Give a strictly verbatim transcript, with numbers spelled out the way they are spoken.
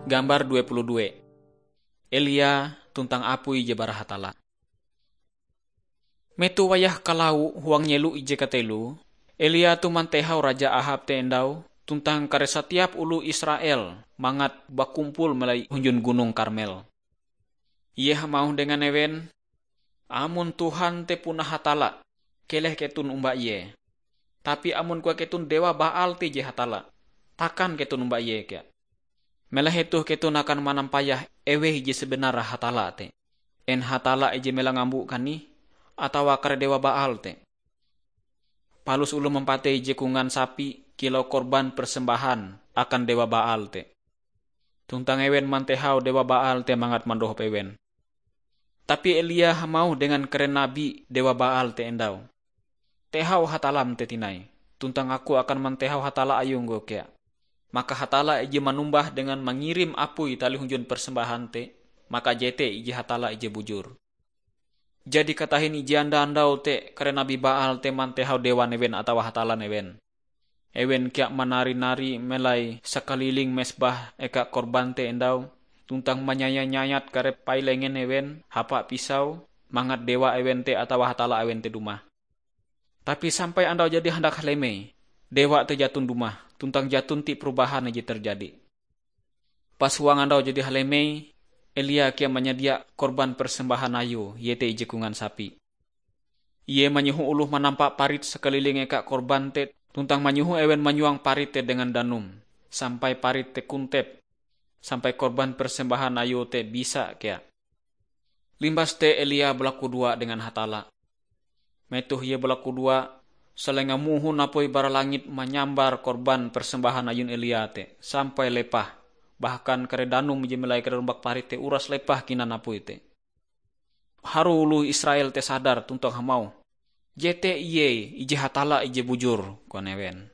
Gambar dua puluh dua. Elia tuntang apui je bara Hatalla. Metoh wayah kalawa huang nyelo ije kateloe, Elia toh mantehau Raja Ahab te endau tuntang kare satiap oloh Israel mangat bakumpul melai hunjun Gunong Karmel. Ie hamauh dengan ewen, "Amon Tuhan te puna Hatalla, keleh keton omba ie. Tapi amon koan keton dewa Baal te je Hatalla, takan keton omba ie kea. Melahe toh keton akan manampayah eweh ije sebenare Hatalla te. En Hatalla ije mela ngambo kanih, atawa kare dewa Baal te?" Palus oloh mampatei ije kongan sapi kilau korban persembahan akan dewa Baal te. Tuntang ewen mantehau dewa Baal te mangat mandohop ewen. Tapi Elia hamauh dengan kare nabi dewa Baal te endau, "Tehau Hatallam te tinai, tuntang aku akan mantehau Hatalla ayungku kea." Maka Hatalla ije manumbah dengan mangirim apui talih hunjun persembahan te, maka jete ije Hatalla ije bujur. Jadi katahin ije anda andau te kare nabi Baal te mantehau dewan ewen atawa hatallan ewen. Ewen kea manari-nari melai sakaliling mesbah eka korban te endau, tuntang manyaya-nyayat kare pailengen ewen hapa pisau, mangat dewa ewen te atawa hatalla ewen te dumah. Tapi sampai andau jadi handak halemei, dewa te jaton dumah, tuntang jaton ti perubahan je terjadi. Pas huang andau jadi halemei, Elia kea manyadia korban persembahan ayue, iete ije kongan sapi. Ie manyoho oloh manampa parit sakaliling eka korban te, tuntang manyoho ewen manyuang parit te dengan danum, sampai parit te kontep, sampai korban persembahan ayue te bisa kea. Limbas te Elia balakudoa dengan Hatalla. Metoh ie balakudoa, salenga mohon apui bara langit manyambar korban persembahan ayun Elia te sampai lepah, bahkan kare danum je melai kare rumbak parit te uras lepah kinan apui te. Harue oloh Israel te sadar tuntang hamauh, "Jete ie ije Hatalla ije bujur," koan ewen.